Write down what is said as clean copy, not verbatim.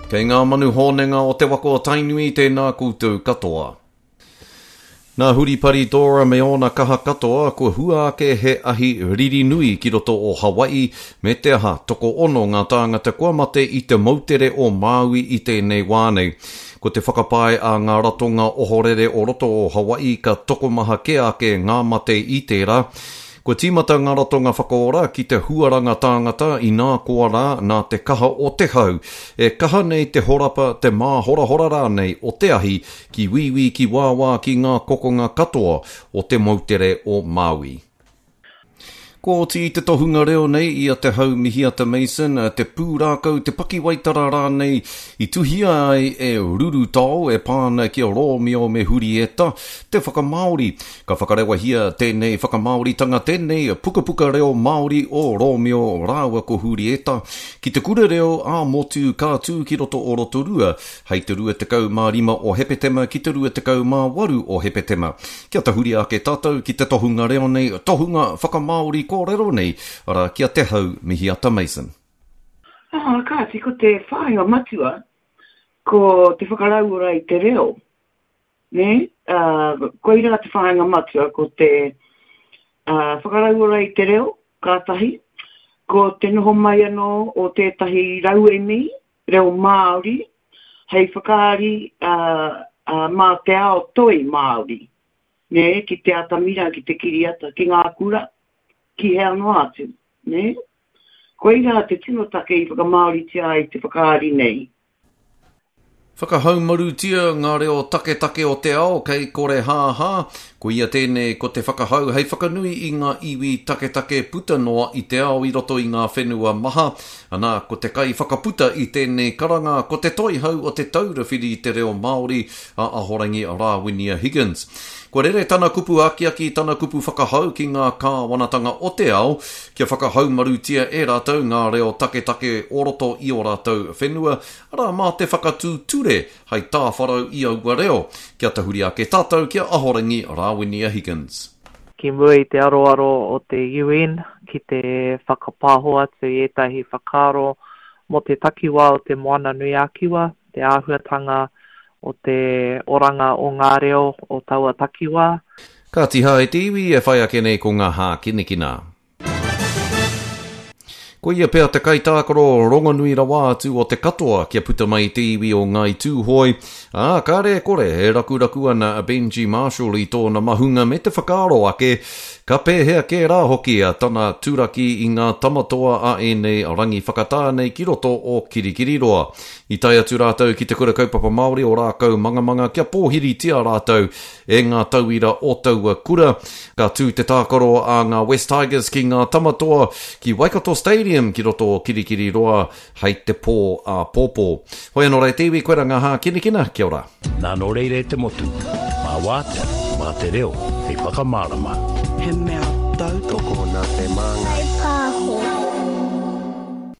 Kei ngā manu hōnenga o te waka o Tainui tēnā koutou katoa. Nā Huripari Dora me ōna kaha katoa, kua hua ake he ahi riri nui ki roto o Hawaii, me te aha, tokoono ngā tāngata kua mate i te moutere o Māui i tēnei wā nei. Ko te whakapae a ngā ratonga ohorere o roto o Hawaii ka tokomaha kē ake ngā mate i tērā. Kua tīmata ngā ratonga whakaora ki te huaranga tāngata inā koa rā nā te kaha o te hau e kaha nei te horapa, te māhorahora rānei o te ahi ki wīwī ki wāwā ki ngā kokonga katoa o te moutere o Māui. Kua oti i te tohunga reo nei i a Te Hau Mihiata Mason te pūrākau, te pakiwaitara rānei i tuhia ai e Rurutao e pā ana ki a Rōmio me Hurieta, te whakamāori. Ka whakarewahia tēnei whakamāoritanga, tēnei pukapuka reo Māori o Rōmio rāua ko Hūrieta ki te kura reo ā-motu ka tū ki roto o Rotorua hei te 25 o Hepetema ki te 28 o Hepetema. Kia tahuri ake tātou ki te tohunga reo nei, tohunga whakamāori kōrero nei, arā, ki a Te Hau Mihiata Mason. Ā, kāti, ko te whāinga matua, ko te whakarauora i te reo. Nē, ā, koirā te whāinga matua, ko te, ā, whakarauora i te reo, ka tahi, ko te noho mai anō o tētahi rauemi reo Māori hei whakaari, ā, ā, mā te ao toi Māori, nē, ki te atamira, ki te kiriata, ki ngā kura, ki hea noa atu, nē. Koirā te tino take i whakamāoritia ai te whakaari nei. Whakahaumarutia ngā reo taketake o te ao kei korehāhā, koia tēnei ko te whakahau hei whakanui i ngā iwi taketake puta noa i te ao i roto i ngā whenua maha. Ana, ko te kaiwhakaputa i tēnei karanga ko te toihau o Te Taura Whiri i te Reo Māori, a Ahorangi Rāwinia Higgins. Kua rere tana kupu akiaki, tana kupu whakahau ki ngā kāwanatanga o te ao kia whakahaumarutia e rātou ngā reo taketake o roto i ō rātou whenua, arā, mā te whakatū ture hei tāwharau i aua reo. Kia tahuri ake tātou ki a Ahorangi Rāwinia Higgins. Ki mua i te aroaro o te UN ki te whakapāho atu i ētahi whakaaro mō te takiwā o Te Moana-nui-a-Kiwa, te āhuatanga o te oranga o ngā reo o taua takiwā. Ka tiha e te iwi e whai ake nei ko ngā hākinakina. Ko ia pea te kaitākaro rongonui rawa atu o te katoa kia puta mai te iwi o Ngāi Tūhoe, ā, kāre e kore e rakuraku ana a Benji Marshall i tōna mahunga me te whakaaro ake ka pēhea kē rā hoki a tana turaki i ngā tamatoa a ēnei rangi whakatā nei ki roto o Kirikiriroa. I tae atu rātou ki Te Kura Kaupapa Māori o Rākaumangamanga kia pōhiritia rātou e ngā tauira o taua kura. Ka tū te tākaro a ngā West Tigers ki ngā Tamatoa ki Waikato Stadium ki roto o Kirikiriroa hei te pō āpōpō. Hoi anō rā e te iwi, koira ngā hākinakina, kia ora. Nā nō reira e te motu, mā wātea, mā te reo hei whakamārama. He mea tautoko. Tokona te māngai. Whai pāho.